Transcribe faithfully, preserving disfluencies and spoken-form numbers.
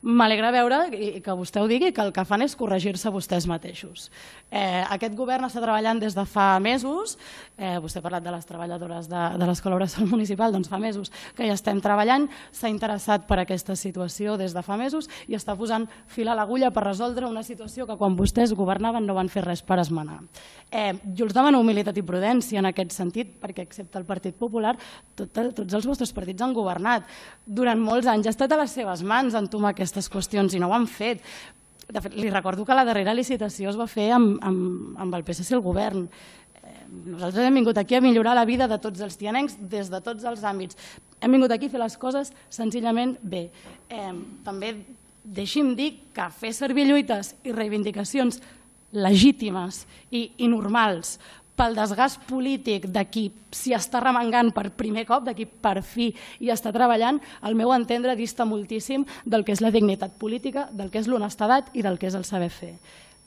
m'alegra veure que vostè ho digui, que el que fan és corregir-se vostès mateixos. Aquest govern està treballant des de fa mesos, vostè ha parlat de les treballadores de l'Escola Bressol Municipal, doncs fa mesos que ja estem treballant, s'ha interessat per aquesta situació des de fa mesos i està posant fil a l'agulla per resoldre una situació que quan vostès governaven no van fer res per esmenar. Jo els demano humilitat i prudència en aquest sentit, perquè excepte el Partit Popular, tots els vostres partits han governat durant molts anys, ha estat a les seves mans entomar aquestes qüestions i no ho han fet. De fet, li recordo que la darrera licitació es va fer amb el P S C al govern. Nosaltres hem vingut aquí a millorar la vida de tots els tianencs des de tots els àmbits. Hem vingut aquí a fer les coses senzillament bé. També deixi'm dir que fer servir lluites i reivindicacions legítimes i normals pel desgast polític de qui s'hi està remengant per primer cop, de qui per fi hi està treballant, al meu entendre dista moltíssim del que és la dignitat política, del que és l'honestedat i del que és el saber fer.